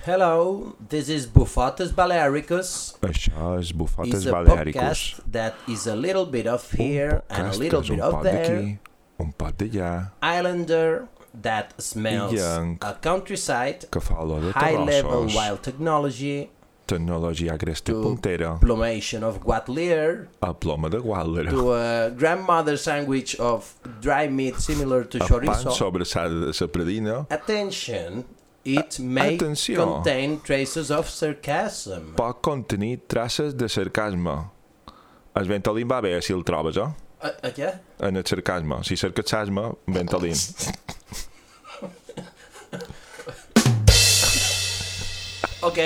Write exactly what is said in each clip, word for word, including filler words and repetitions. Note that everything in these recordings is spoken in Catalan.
Hello, this is Bufotes Balearicus. Això és Bufotes It's a Balearicus. podcast that is a little bit of here Un and a podcast little que és bit un of pot there. d'aquí, un pot d'allà, Islander that smells Young. a countryside, que fa olor de high-level terrossos, wild technology, tecnologia agresta to puntera, plumation of guatlier, a ploma de guàldera, to a grandmother sandwich of dry meat similar to a pan chorizo. sobrassada de sa predina, Attention, it may Atenció. contain traces of sarcasm. pot contenir traces de sarcasme. El Ventolin va bé si el trobes, eh? A, a què? En el sarcasme. Si cerques sarcasme, Ventolin. Ok.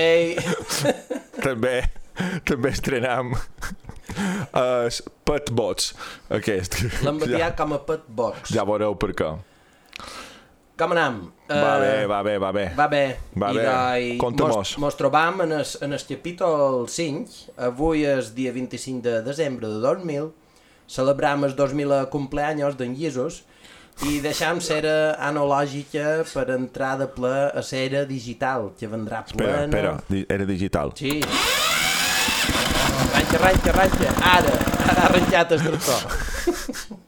també, també estrenam els petbots, aquest. L'hem ja, batiat com a pet box. ja veureu per què. Com anem? Va Eh, bé, va bé, va bé. Va bé. Va I bé. doi, Conta-mos. mos, mos trobam en el, en el capítol cinc. Avui és dia vint-i-cinc de desembre de dos mil. Celebram el dos mil cumpleaños d'en Llisos i deixam cera analògica per entrar de ple a cera digital, que vendrà Espera, plena. espera, di- era digital. Sí. Arranca, arranca, arranca. Ara, ara ha arrencat el tractor.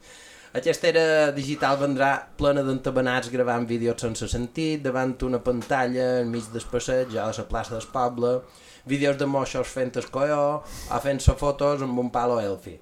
Aquesta era digital vendrà plena d'entabanats gravant vídeos sense sentit, davant una pantalla enmig del passeig, a la plaça del poble, vídeos de moixos fent el coió o fent-se fotos amb un palo elfi.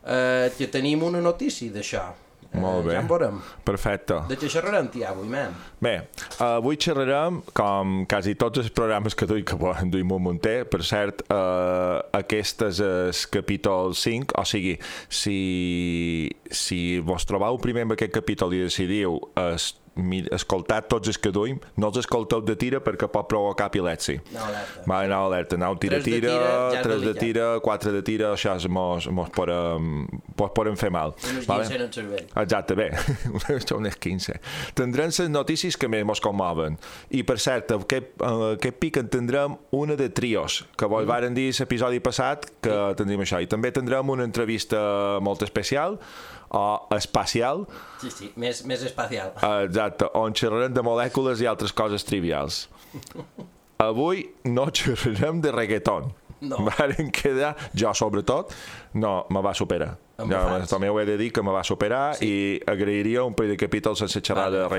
Uh, que tenim una notícia d'això. Uh, Molt bé. Ja en veurem. Perfecte. De què xerrarem, tia, avui, man? Bé, avui xerrarem, com quasi tots els programes que duim, que en duim un munter, per cert, eh, aquest és el capítol cinc, o sigui, si, si vos trobeu primer amb aquest capítol i decidiu es, mi, escoltar tots els que duim, no els escolteu de tira perquè pot provocar epilèpsia. No, alerta. Va anar alerta, aneu Tres de tira-tira, tira, ja és tres de delicat. tira, quatre de tira, això és, mos, mos poden, mos poden fer mal. Unes Vale? quinze en el cervell. Exacte, bé, són unes quinze. Tindrem les notícies que més mos commoven. I, per cert, aquest, uh, aquest pic en tindrem una de trios, que vos mm. varen dir l'episodi passat que sí. tindrem això. I també tindrem una entrevista molt especial, o espacial, Sí, sí, més, més espacial. uh, exacte, on xerrarem de molècules i altres coses trivials. Avui no xerrarem de reggaeton. No. Varen quedar, jo sobretot, no, me va superar. Em Ja, faig. també ho he de dir que me va superar sí. i agrairia un parell de capítols sense xerrar Vale, de fem